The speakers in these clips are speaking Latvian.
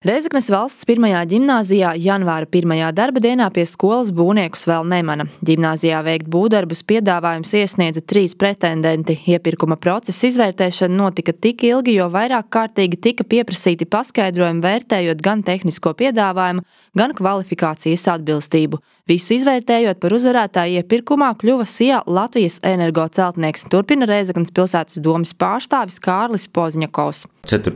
Rēzeknes valsts pirmajā ģimnāzijā janvāra pirmajā darba dienā pie skolas būvniekus vēl nemana. Ģimnāzijā veikt būvdarbus piedāvājums iesniedza 3 pretendenti. Iepirkuma procesa izvērtēšana notika tik ilgi, jo vairāk kārtīgi tika pieprasīti paskaidrojumi vērtējot gan tehnisko piedāvājumu, gan kvalifikācijas atbilstību. Visu izvērtējot par uzvarētāju iepirkumā kļuva SIA Latvijas Energo celtnieks, turpina Rēzeknes pilsētas domes pārstāvis Kārlis Pozņakovs. 4.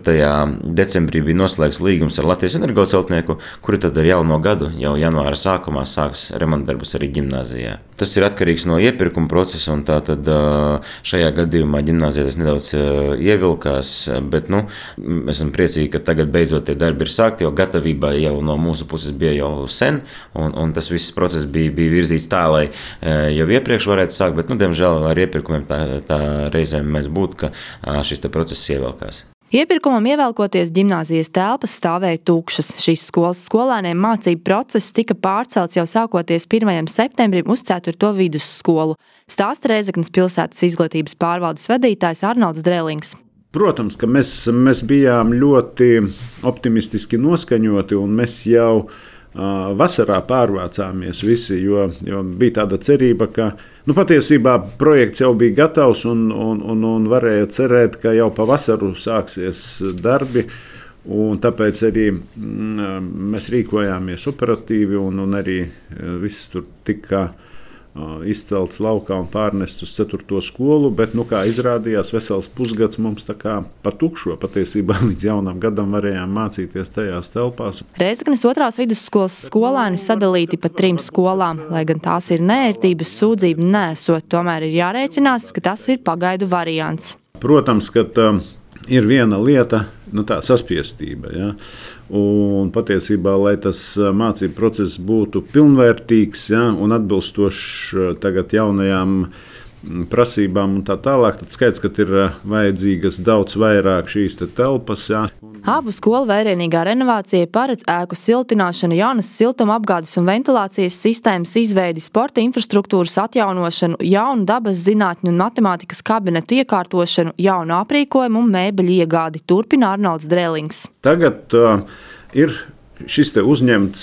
decembrī bija noslēgts līgums ar Latvijas Energo celtnieku, kuri tad ar jauno gadu, jau janvāra sākumā sāks remontdarbus arī ģimnāzijā. Tas ir atkarīgs no iepirkuma procesa, un tātad šajā gadījumā ģimnāzijā tas nedaudz ievilkās, bet esam priecīgi, ka tagad beidzot tie darbi ir sākti, jo gatavībā jau no mūsu puses bija jau sen, un tas viss process bija virzīts tā, lai jau iepriekš varētu sākt, bet, diemžēl ar iepirkumiem tā reizēm mēs būtu, ka šis process ievilkās. Iepirkumam ievelkoties ģimnāzijas telpas stāvēja tukšas. Šīs skolas skolēniem mācību process tika pārcelts jau sākoties 1. septembrim uz 4. vidusskolu. Stāsta Rēzeknes pilsētas izglītības pārvaldes vadītājs Arnolds Drelings. Protams, ka mēs bijām ļoti optimistiski noskaņoti, un mēs jau vasarā pārvācāmies visi, jo bija tāda cerība, ka patiesībā projekts jau bija gatavs un varēja cerēt, ka jau pa vasaru sāksies darbi. Un tāpēc arī mēs rīkojāmies operatīvi un arī viss tur tika izcelts laukā un pārnests uz 4. skolu, bet, kā izrādījās, vesels pusgads mums tā kā patukšo. Patiesībā līdz jaunam gadam varējām mācīties tajās telpās. Rēzeknes 2. vidusskolas skolēni sadalīti pa 3 skolām, lai gan tās ir neērtības sūdzība nesot, tomēr ir jārēķinās, ka tas ir pagaidu variants. Protams, ka ir viena lieta, tā saspiestība. Ja? Un patiesībā, lai tas mācību process būtu pilnvērtīgs, ja, un atbilstošs tagad jaunajām prasībām un tā tālāk, tad skaidrs, ka ir vajadzīgas daudz vairāk šīs telpas. Ja. Abu skolu vērienīgā renovācija paredz ēku siltināšanu, jaunas siltuma apgādes un ventilācijas sistēmas izveidi, sporta infrastruktūras atjaunošanu, jaunu dabas zinātņu un matemātikas kabinetu iekārtošanu, jaunu aprīkojumu un mēbeļu iegādi, turpina Arnolds Drelings. Tagad ir šis uzņemts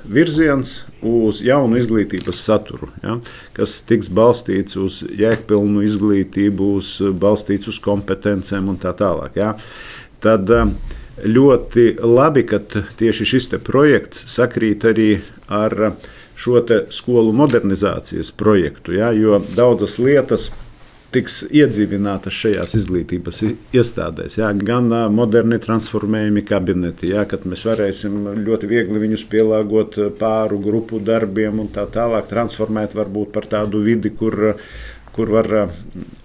virziens uz jaunu izglītības saturu, ja, kas tiks balstīts uz jēgpilnu izglītību, balstīts uz kompetencēm un tā tālāk. Ja. Tad ļoti labi, ka tieši šis projekts sakrīt arī ar šo skolu modernizācijas projektu, ja, jo daudzas lietas tiks iedzīvinātas šajās izglītības iestādēs. Ja, gan moderni transformējumi kabineti, ja, kad mēs varēsim ļoti viegli viņus pielāgot pāru grupu darbiem un tā tālāk transformēt varbūt par tādu vidi, kur var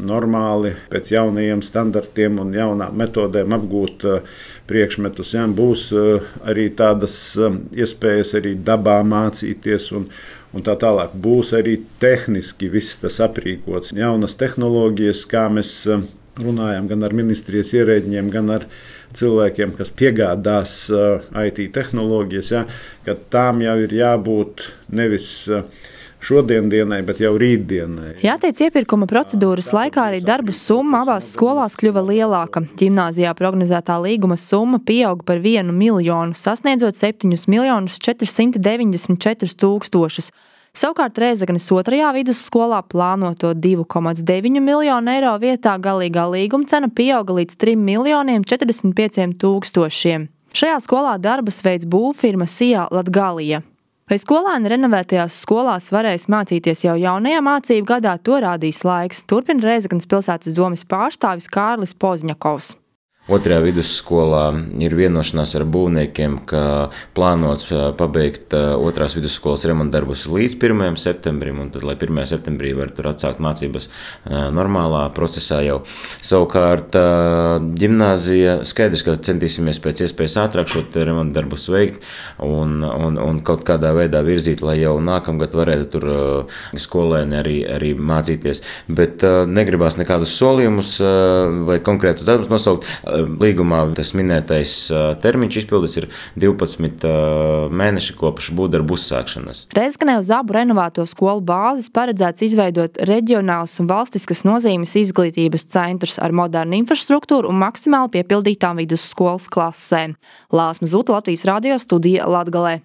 normāli pēc jaunajiem standartiem un jaunām metodēm apgūt priekšmetus. Ja, būs arī tādas iespējas arī dabā mācīties un tā tālāk. Būs arī tehniski viss tas aprīkots. Jaunas tehnoloģijas, kā mēs runājam gan ar ministrijas ierēģiem, gan ar cilvēkiem, kas piegādās IT tehnoloģijas, ja, ka tām jau ir jābūt nevis šodiendienai, bet jau rītdienai. Jāteic, iepirkuma procedūras laikā arī darbu summa abās skolās kļuva lielāka. Ģimnāzijā prognozētā līguma summa pieauga par 1 miljonu, sasniedzot 7 494 000. Savukārt Rēzeknes 2. vidusskolā plānoto 2,9 miljonu eiro vietā galīgā līguma cena pieauga līdz 3 45 000. Šajā skolā darbus veids būvfirma SIA Latgalija. Vai skolēni renovētajās skolās varēs mācīties jau jaunajā mācību gadā, to rādīs laiks, turpina Rēzeknes pilsētas domes pārstāvis Kārlis Pozņakovs. 2. vidusskolā ir vienošanās ar būvniekiem, ka plānots pabeigt 2. vidusskolas remontdarbus līdz 1. septembrim, un tad, lai 1. septembrī var tur atsākt mācības normālā procesā jau. Savukārt ģimnāzija skaidrs, ka centīsimies pēc iespējas ātrāk šo remontdarbus veikt un kaut kādā veidā virzīt, lai jau nākamgad varētu tur skolēni arī mācīties. Bet negribās nekādus solījumus vai konkrētus darbus nosaukt. Līgumā tas minētais termiņš izpildes ir 12 mēneši kopš būvdarbu uzsākšanas. Rēzeknē uz abu renovēto skolu bāzes paredzēts izveidot reģionālas un valstiskas nozīmes izglītības centrus ar modernu infrastruktūru un maksimāli piepildītām vidusskolas klasēm. Lāsma Zuta, Latvijas radio studija Latgalē.